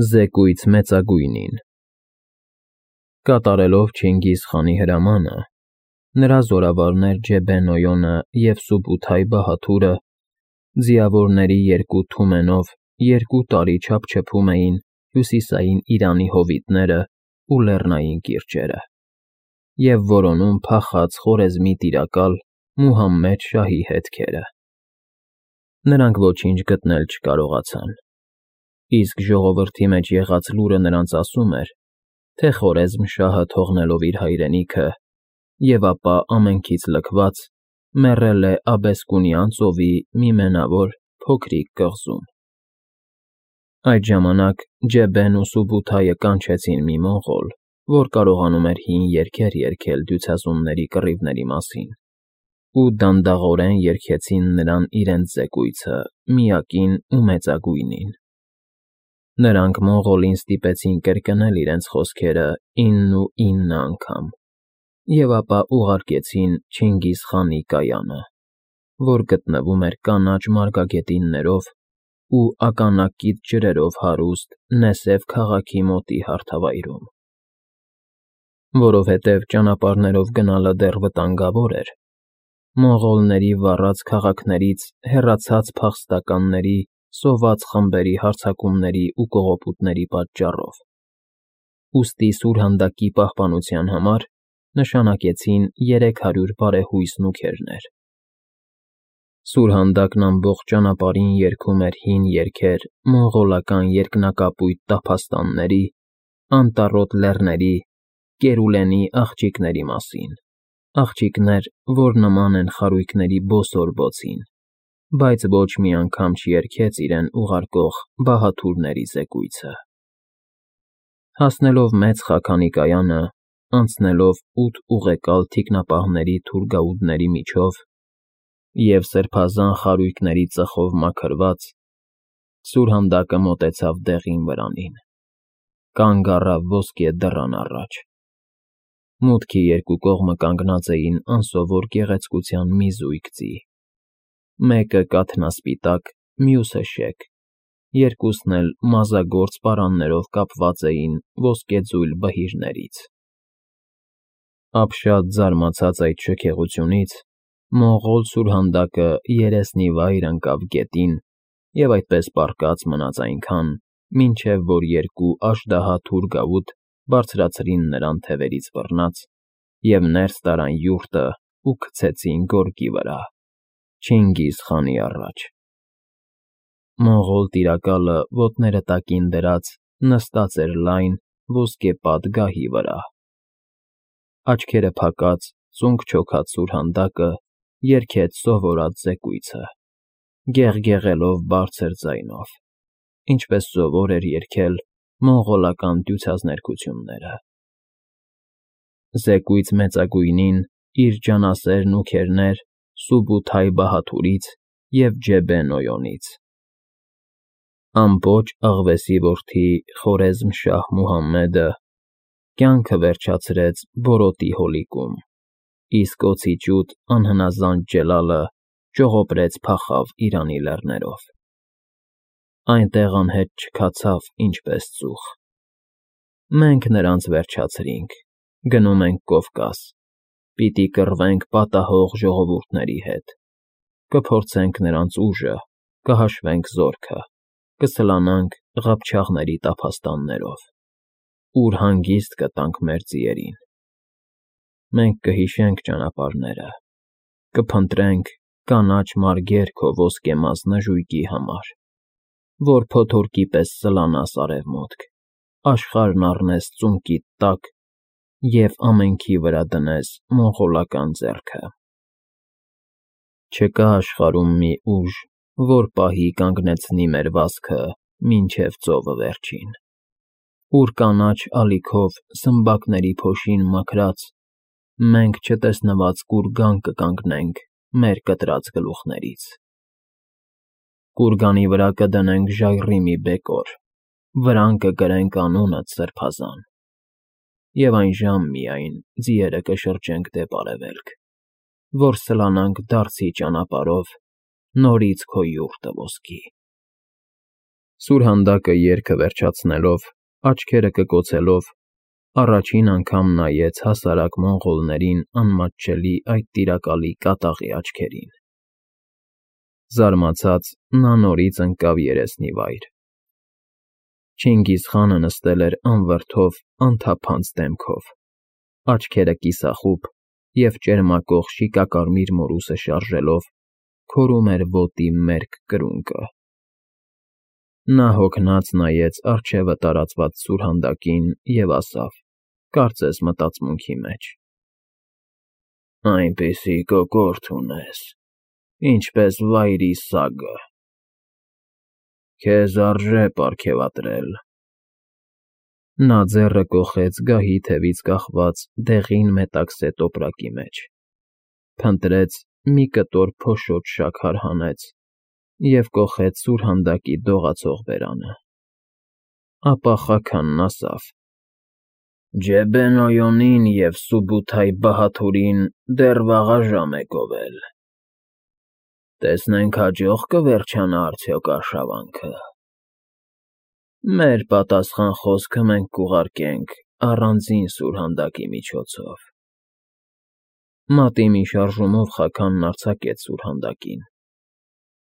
Զեկույց մեծագույնին։ Կատարելով Չինգիզ խանի հրամանը, նրա զորավարներ Ջեբեն-Օյոնը և Սուբութայ Բահաթուրը ձիավորների երկու թումենով 2 տարի չափչփում էին հյուսիսային Իրանի հովիտները ու լեռնային կիրճերը և որոնում փախած Խորեզմի տիրակալ Մուհամմեդ շահի հետքերը։ Նրանք ոչինչ գտնել չկարողացան, իսկ ժողովրդի մեջ եղած լուրը նրանց ասում էր, թե Խորեզմ շահը թողնելով իր հայրենիքը և ապա ամենքից լքված, մեռել է Աբեսկունյան ծովի մի մենավոր փոքրիկ կղզում։ Այդ ժամանակ Ջեբեն ու Սուբութայը կանչեցին մի մոնղոլ, որ կարողանում էր հին երգեր երգել դյուցազունների կռիվների մասին, ու դանդաղորեն երգեցին նրան իրենց զեկույցը միակին ու մեծագույնին։ Նրանք մոնղոլին ստիպեցին կրկնել իրենց խոսքերը 9 անգամ և ապա ուղարկեցին Չինգիզ խանի կայանը, որ գտնվում էր կանաչ մարգագետիններով ու ականակից ջրերով հարուստ Նեսև քաղաքի մոտի հարթավայրում։ Որովհետև ճանապարհներով գնալը դեռ վտանգավոր էր, մոնղոլների վառած քաղաքներից հեռացած փախստականների սոված խմբերի հարձակումների ու կողոպուտների պատճառով, ուստի սուրհանդակի պահպանության համար նշանակեցին 300 բարեհույս նուգերներ։ Սուրհանդակն ամբողջ ճանապարհին երգում էր հին երգեր մոնղոլական երկնակապույտ տափաստանների, անտառոտ լեռների, Կերուլենի աղջիկների մասին, աղջիկներ, որ նման են խարույկների բոսոր բոցին, բայց ոչ մի անգամ չերգեց իրեն ուղարկող բահաթուրների զեկույցը։ Հասնելով մեծ խաքանի կայանը, անցնելով 8 ուղեկալ թիկնապահների թուրգաուդների միջով և սրբազան խարույկների ծխով մաքրված, սուրհանդակը մոտեցավ դեղին վրանին, կանգ առավ ոսկե դռան առաջ։ Մուտքի երկու կողմը կանգնած էին անսովոր գեղեցկության մի զույգ ձի, մեկը կաթնասպիտակ, մյուսը շեք, երկուսն էլ մազագործ պարաններով կապված էին ոսկեձույլ բհիրներից։ Ապշած զարմացած այդ շքեղությունից, մոնղոլ սուրհանդակը երեսնիվայր ընկավ գետին և այդպես պառկած մնաց այնքան, մինչև որ երկու աժդահա թուրգաուտ բարձրացրին նրան թևերից բռնած և ներս տարան յուրտը ու քցեցին գորգի վրա, Չինգիզ խանի առաջ։ Մոնղոլ տիրակալը ոտները տակին դրած նստած էր լայն, ոսկեպատ գահի վրա։ Աչքերը փակած, ծունկ չոքած սուրհանդակը երգեց սովորած զեկույցը, գեղգեղելով բարձր ձայնով, ինչպես սովոր էր երգել մոնղոլական դյուցազներգությունները։ Զեկույց մեծագույնին իր ջանասեր նուգերներ Սուբութայ Բահաթուրից և Ջեբեն-Օյոնից։ Ամպոչ աղվեսի որդի Խորեզմ֊շահ Մուհամմեդը կյանքը վերջացրեց Բորոտի հոլիկում, իսկ օձիճուտ անհնազանդ Ջելալը ճողոպրեց փախավ Իրանի լեռներով։ Այնտեղ անհետ չքացավ ինչպես ծուխ։ Մենք նրանց վերջացրինք, գնում ենք Կովկաս, պիտի կռվենք պատահող ժողովուրդների հետ, կփորձենք նրանց ուժը, կհաշվենք զորքը, կսլանանք Ղափչաղների տափաստաններով, ուր հանգիստ կտանք մեր ձիերին։ Մենք կհիշենք ճանապարհները, կփնտրենք կանաչ մարգեր քո ոսկեմազ նժույգի համար, որ փոթորկի պես սլանաս արևմուտք, աշխարհն առնես ծունկիդ տակ և ամենքի վրա դնես մոնղոլական ձեռքը։ Չկա աշխարհում մի ուժ, որ պահի կանգնեցնի մեր վազքը մինչև ծովը վերջին, ուր կանաչ ալիքով սմբակների փոշին մաքրած, մենք չտեսնված կուրգան կկանգնենք մեր կտրած գլուխներից։ Կուրգանի վրա կդնենք ժայռի մի բեկոր, վրան կգրենք անունդ սրբազան, և այն ժամ միայն ձիերը կշրջենք դեպ արևելք, որ սլանանք դարձի ճանապարհով նորից քո յուրտը ոսկի։ Սուրհանդակը երգը վերջացնելով, աչքերը կկոցելով, առաջին անգամ նայեց հասարակ մոնղոլներին անմատչելի այդ տիրակալի կատաղի աչքերին։ Զարմացած նա նորից ընկավ երեսնի վայր։ Չինգիզխանը նստել էր անվրդով, անթափանց դեմքով, աչքերը կիսախուբ և ճերմակող շիկակարմիր մորուսը շարժելով, քորում էր ոտի մերկ կրունկը։ Նա հոգնած նայեց առջևը տարածված սուրհանդակին և ասավ, կարծես մտածմունքի մեջ. «Այնպիսի կոկորդ ունես, ինչպես վայրի սագը, քեզ արժե պարգևատրել»։ Նա ձեռը կոխեց գահի թևից կախված դեղին մետաքսե տոպրակի մեջ, փնտրեց, մի կտոր փոշոտ շաքար հանեց և կոխեց սուրհանդակի դողացող բերանը։ Ապա խաքանն ասավ. «Ջեբեն Օյոնին և Սուբութայ Բահաթուրին դեռ վաղաժամ է գովել։ Տեսնենք հաջող կվերջանա արդյոք արշավանքը։ Մեր պատասխան խոսքը մենք կուղարկենք առանձին սուրհանդակի միջոցով»։ Մատի մի շարժումով Խաքանն արձակեց սուրհանդակին։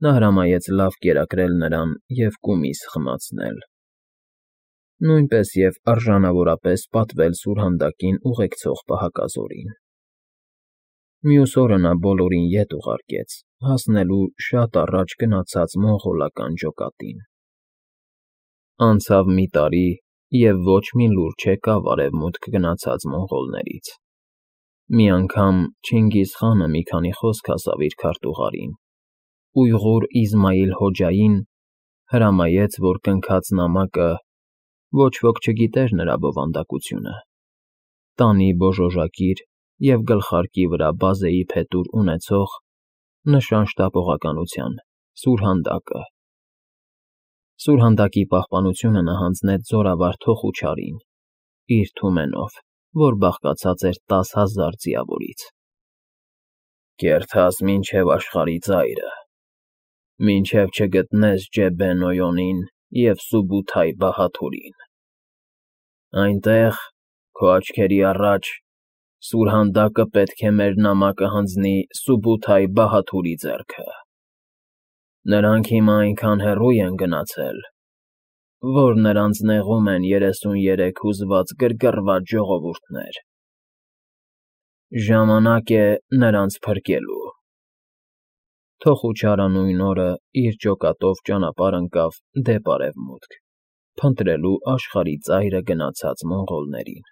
Նա հրամայեց լավ կերակրել նրան և կումիս խմացնել, նույնպես և արժանավորապես պատվել սուրհանդակին ուղեկցող պահակազորին։ Մյուս օրը նա բոլորին ետ ուղարկեց, հասնելու շատ առաջ գնացած մոնղոլական ջոկատին։ Անցավ մի տարի, և ոչ մի լուր չեկավ արևմուտք գնացած մոնղոլներից։ Մի անգամ Չինգիզխանը մի քանի խոսք ասավ իր քարտուղարին, ուйղուր Իզմայիլ Հոջային հրամայեց, որ կնքած նամակը (ոչ ոք չգիտեր նրա բովանդակությունը) տանի բոժոժակիր և գլխարկի վրա բազեի փետուր ունեցող (նշան շտապողականության) սուրհանդակը։ Սուրհանդակի պահպանությունը նա հանձնեց զորավար Թոխուչարին, իր թումենով, որ բաղկացած էր 10,000 ձիավորից։ «Կերթաս մինչև աշխարհի ծայրը, մինչև չգտնես Ջեբեն Օյոնին և Սուբութայ Բահաթուրին։ Այնտեղ, քո աչքերի առաջ, սուրհանդակը պետք է մեր նամակը հանձնի Սուբութայ Բահաթուրի ձեռքը։ Նրանք հիմա այնքան հեռու են գնացել, որ նրանց նեղում են 33 հուզված գրգռված ժողովուրդներ։ Ժամանակ է նրանց փրկելու»։ Թոխուչարը նույն օրը իր ջոկատով ճանապարհ ընկավ դեպ արևմուտք, փնտրելու աշխարհի ծայրը գնացած մոնղոլներին։